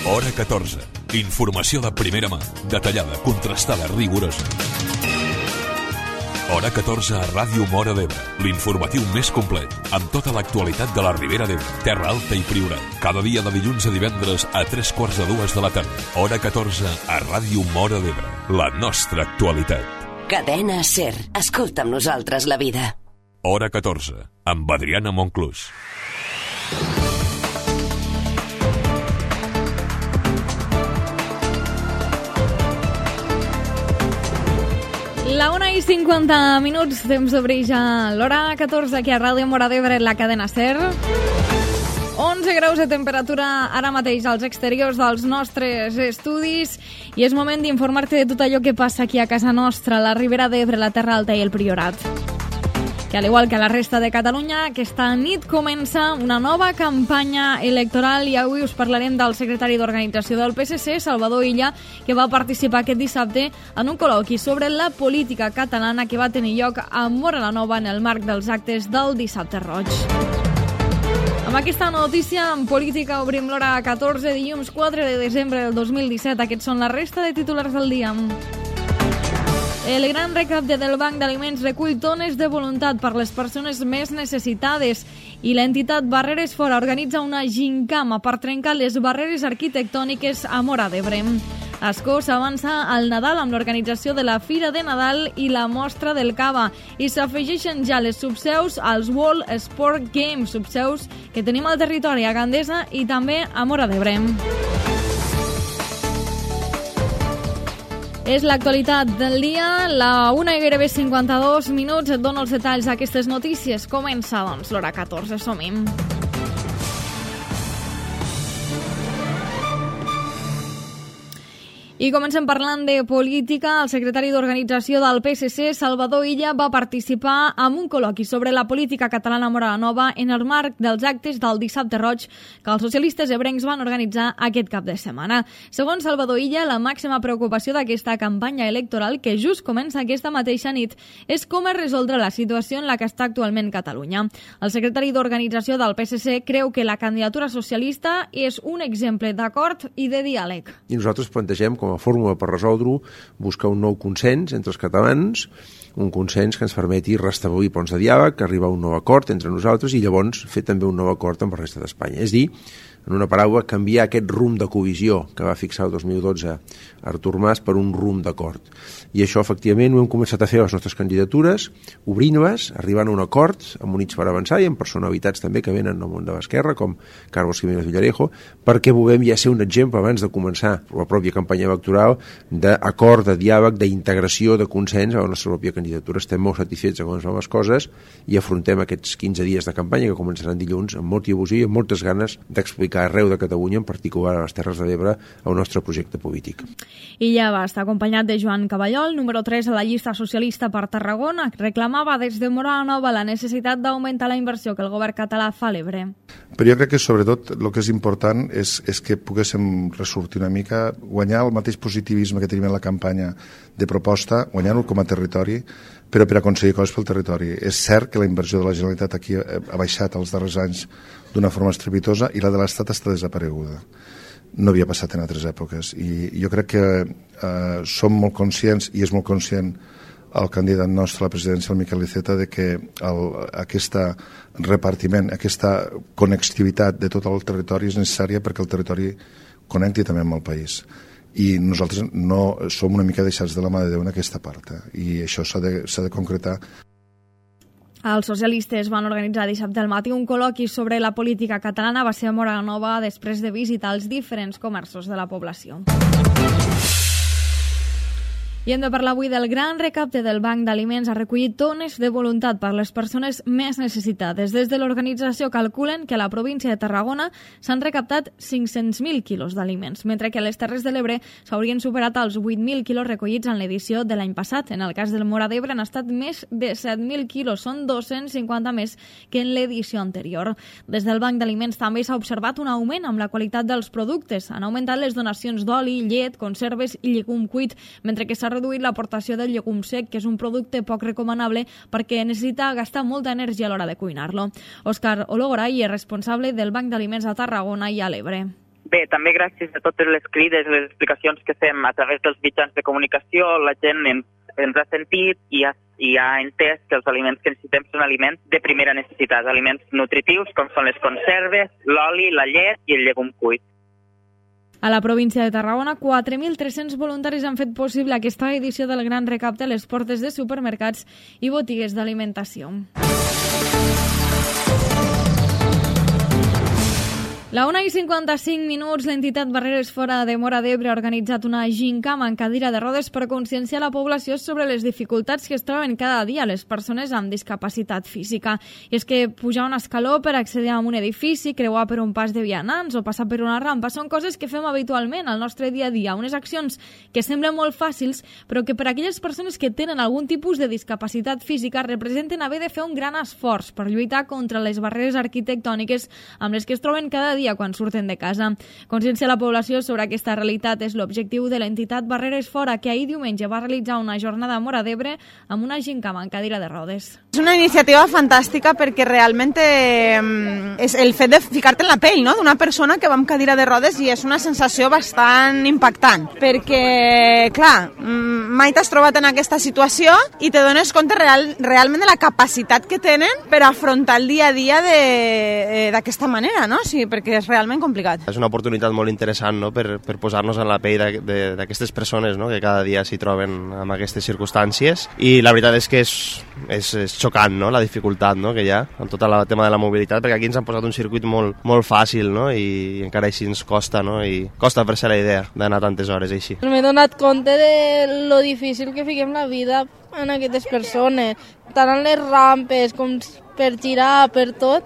Hora 14. Informació de primera mà, detallada, contrastada, rigorosa. Hora 14 a Ràdio Móra d'Ebre, l'informatiu més complet, amb tota l'actualitat de la Ribera d'Ebre, Terra Alta i Priorat. Cada dia de dilluns a divendres a 3:45 de la tarda. Hora 14 a Ràdio Móra d'Ebre, la nostra actualitat. Cadena SER. Escolta amb nosaltres la vida. Hora 14, amb Adriana Monclús. La 1:50, temps d'obrir ja l'hora 14 aquí a Ràdio Móra d'Ebre, la cadena SER. 11 graus de temperatura ara mateix als exteriors dels nostres estudis i és moment d'informar-te de tot allò que passa aquí a casa nostra, la Ribera d'Ebre, la Terra Alta i el Priorat. Que al igual que a la resta de Catalunya, aquesta nit comença una nova campanya electoral i avui us parlarem del secretari d'Organització del PSC, Salvador Illa, que va participar aquest dissabte en un col·loqui sobre la política catalana que va tenir lloc a Móra la Nova en el marc dels actes del Dissabte Roig. Amb aquesta notícia, en política obrim l'hora 14, dilluns 4 de desembre del 2017. Aquests són la resta de titulars del dia. El gran recapte del Banc d'Aliments recull tones de voluntat per les persones més necessitades i l'entitat Barreres Fora organitza una gincama per trencar les barreres arquitectòniques a Móra d'Ebre. Ascó s'avança al Nadal amb l'organització de la Fira de Nadal i la Mostra del Cava i s'afegeixen ja les subseus als World Sport Games, subseus que tenim al territori a Gandesa i també a Móra d'Ebre. És l'actualitat del dia, la 1:52, et dono els detalls d'aquestes notícies. Comença, doncs, l'hora 14, som-hi. I comencem parlant de política. El secretari d'Organització del PSC, Salvador Illa, va participar en un col·loqui sobre la política catalana a Móra la Nova en el marc dels actes del Dissabte Roig que els socialistes ebrencs van organitzar aquest cap de setmana. Segons Salvador Illa, la màxima preocupació d'aquesta campanya electoral, que just comença aquesta mateixa nit, és com es resoldrà la situació en la que està actualment Catalunya. El secretari d'Organització del PSC creu que la candidatura socialista és un exemple d'acord i de diàleg. I nosaltres plantegem com a fórmula per resoldre-ho, buscar un nou consens entre els catalans, un consens que ens permeti restablir ponts de diàleg, arribar a un nou acord entre nosaltres i llavors fer també un nou acord amb la resta d'Espanya. És dir, en una paraula, canviar aquest rumb de covisió que va fixar el 2012 Artur Mas per un rumb d'acord. I això, efectivament, ho hem començat a fer a les nostres candidatures, obrint-les, arribant a un acord amb Units per Avançar i amb personalitats també que venen del món de l'esquerra, com Carlos Jiménez Villarejo, perquè volem ja ser un exemple abans de començar la pròpia campanya electoral d'acord, de diàleg, d'integració, de consens a la nostra pròpia candidatura. Estem molt satisfets de com es van les coses i afrontem aquests 15 dies de campanya que començaran dilluns amb molta il·lusió i amb moltes ganes d'explicar arreu de Catalunya, en particular a les Terres de l'Ebre, el nostre projecte polític. I ja va estar acompanyat de Joan Caballol, número 3 a la llista socialista per Tarragona, que reclamava des de Móra la Nova la necessitat d'augmentar la inversió que el govern català fa a l'Ebre. Però jo crec que sobretot el que és important és que poguéssim ressortir una mica, guanyar el mateix positivisme que tenim en la campanya de proposta, guanyar-ho com a territori, però per aconseguir coses pel territori. És cert que la inversió de la Generalitat aquí ha baixat els darrers anys d'una forma estrepitosa i la de l'Estat està desapareguda. No havia passat en altres èpoques i jo crec que som molt conscients i és molt conscient el candidat nostre a la presidència, el Miquel Iceta, de que aquest repartiment, aquesta connectivitat de tot el territori és necessària perquè el territori connecti també amb el país. I nosaltres no som una mica deixats de la mà de Déu en aquesta part i això s'ha de concretar. Els socialistes van organitzar dissabte al matí un col·loqui sobre la política catalana. Va ser a Móra la Nova després de visitar els diferents comerços de la població. I hem de parlar avui del gran recapte del Banc d'Aliments. Ha recollit tones de voluntat per les persones més necessitades. Des de l'organització calculen que a la província de Tarragona s'han recaptat 500.000 quilos d'aliments, mentre que a les Terres de l'Ebre s'haurien superat els 8.000 quilos recollits en l'edició de l'any passat. En el cas del Móra d'Ebre han estat més de 7.000 quilos, són 250 més que en l'edició anterior. Des del Banc d'Aliments també s'ha observat un augment amb la qualitat dels productes. Han augmentat les donacions d'oli, llet, conserves i llegum cuit, mentre que s'ha reduït l'aportació del llegum sec, que és un producte poc recomanable perquè necessita gastar molta energia a l'hora de cuinar-lo. Òscar Ologoray és responsable del Banc d'Aliments a Tarragona i a l'Ebre. Bé, també gràcies a totes les crides, les explicacions que fem a través dels mitjans de comunicació, la gent ens ha sentit i ha entès que els aliments que necessitem són aliments de primera necessitat, aliments nutritius com són les conserves, l'oli, la llet i el llegum cuit. A la província de Tarragona, 4.300 voluntaris han fet possible aquesta edició del Gran Recapte a les portes de supermercats i botigues d'alimentació. La 1:55, l'entitat Barreres Fora de Móra d'Ebre ha organitzat una gincama en cadira de rodes per conscienciar la població sobre les dificultats que es troben cada dia les persones amb discapacitat física. I és que pujar un escaló per accedir a un edifici, creuar per un pas de vianants o passar per una rampa són coses que fem habitualment al nostre dia a dia, unes accions que semblen molt fàcils, però que per a aquelles persones que tenen algun tipus de discapacitat física representen haver de fer un gran esforç per lluitar contra les barreres arquitectòniques amb les que es troben cada dia quan surten de casa. Conscienciar la població sobre aquesta realitat és l'objectiu de l'entitat Barreres Fora, que ahir diumenge va realitzar una jornada a Móra d'Ebre amb una gincama en cadira de rodes. És una iniciativa fantàstica perquè realment és el fet de ficar-te en la pell, no?, d'una persona que va amb cadira de rodes, i és una sensació bastant impactant perquè, clar, mai t'has trobat en aquesta situació i te dones compte realment de la capacitat que tenen per afrontar el dia a dia d'aquesta manera, no? Sí, perquè és realment complicat. És una oportunitat molt interessant, no?, per posar-nos en la pell d'aquestes persones, no?, que cada dia s'hi troben amb aquestes circumstàncies, i la veritat és que és xocant, no?, la dificultat, no?, que hi ha amb tot el tema de la mobilitat, perquè aquí ens han posat un circuit molt fàcil, no?, i encara així ens costa, no?, i costa fer-se la idea d'anar tantes hores així. M'he donat compte de lo difícil que fiquem la vida en aquestes persones, tant en les rampes com per girar, per tot.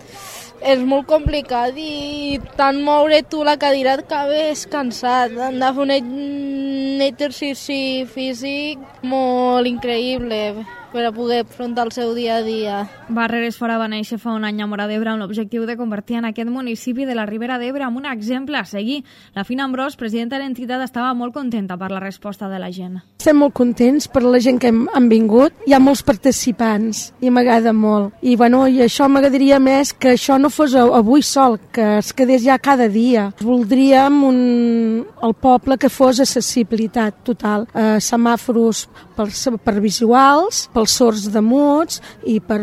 És molt complicat i tant moure tu la cadira et acabes cansat. Han de fer un exercici físic molt increïble per a poder afrontar el seu dia a dia. Barreres Fora va néixer fa un any a Móra d'Ebre amb l'objectiu de convertir en aquest municipi de la Ribera d'Ebre en un exemple a seguir. La Fina Ambrós, presidenta de l'entitat, estava molt contenta per la resposta de la gent. Estem molt contents per la gent que han vingut. Hi ha molts participants i m'agrada molt. I això m'agradaria més que això no fos avui sol, que es quedés ja cada dia. Voldríem el poble que fos accessibilitat total. Semàforos per visuals, pels sords de muts i per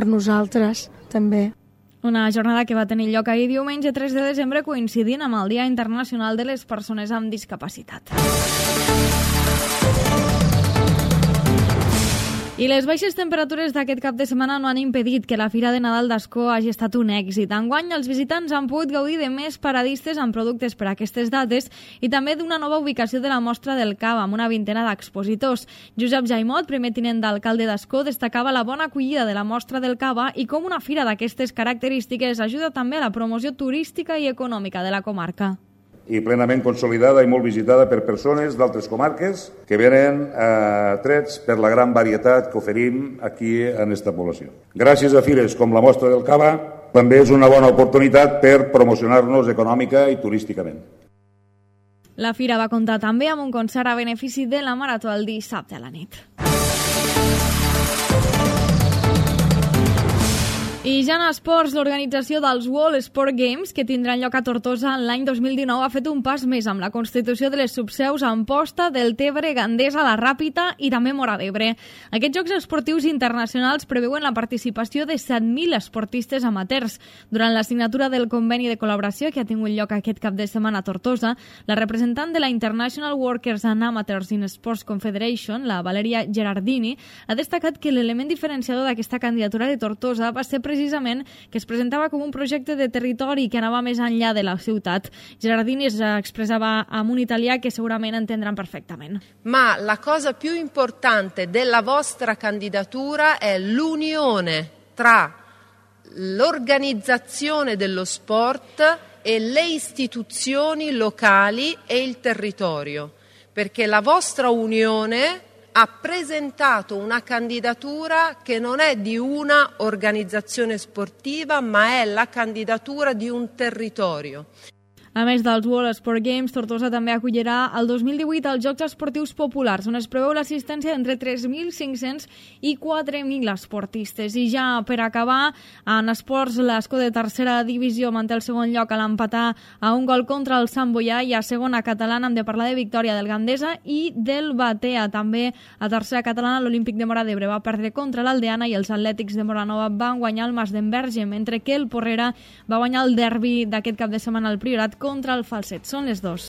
nosaltres també. Una jornada que va tenir lloc ahir diumenge 3 de desembre coincidint amb el Dia Internacional de les Persones amb Discapacitat. I les baixes temperatures d'aquest cap de setmana no han impedit que la Fira de Nadal d'Ascó hagi estat un èxit. Enguany, els visitants han pogut gaudir de més paradistes amb productes per a aquestes dates i també d'una nova ubicació de la mostra del cava, amb una vintena d'expositors. Josep Jaimot, primer tinent d'alcalde d'Ascó, destacava la bona acollida de la mostra del cava i com una fira d'aquestes característiques ajuda també a la promoció turística i econòmica de la comarca. I plenament consolidada i molt visitada per persones d'altres comarques que venen trets per la gran varietat que oferim aquí en esta població. Gràcies a fires com la Mostra del Cava, també és una bona oportunitat per promocionar-nos econòmica i turísticament. La fira va comptar també amb un concert a benefici de la Marató el dissabte a la nit. I ja en esports, l'organització dels World Sport Games, que tindran lloc a Tortosa l'any 2019, ha fet un pas més amb la constitució de les subseus a Amposta, Deltebre, Gandesa, La Ràpita i també Móra d'Ebre. Aquests Jocs Esportius Internacionals preveuen la participació de 7.000 esportistes amateurs. Durant la signatura del conveni de col·laboració que ha tingut lloc aquest cap de setmana a Tortosa, la representant de la International Workers and Amateurs in Sports Confederation, la Valeria Gerardini, ha destacat que l'element diferenciador d'aquesta candidatura de Tortosa va ser precisament que es presentava com un projecte de territori que anava més enllà de la ciutat. Gerardini es expressava en un italià que segurament entendran perfectament. Ma la cosa più importante della vostra candidatura è l'unione tra l'organizzazione dello sport e le istituzioni locali e il territorio, perché la vostra unione ha presentato una candidatura che non è di una organizzazione sportiva, ma è la candidatura di un territorio. A més dels World Sport Games, Tortosa també acollirà el 2018 els Jocs Esportius Populars, on es preveu l'assistència d'entre 3.500 i 4.000 esportistes. I ja per acabar, en esports, l'Escó de tercera divisió manté el segon lloc a l'empatar a un gol contra el Sant Boià, i a segona catalana hem de parlar de victòria del Gandesa i del Batea. També a tercera catalana l'Olímpic de Móra d'Ebre va perdre contra l'Aldeana i els Atlètics de Moranova van guanyar el Mas d'Enverge, mentre que el Porrera va guanyar el derbi d'aquest cap de setmana al Priorat contra el Falset. Són les 2.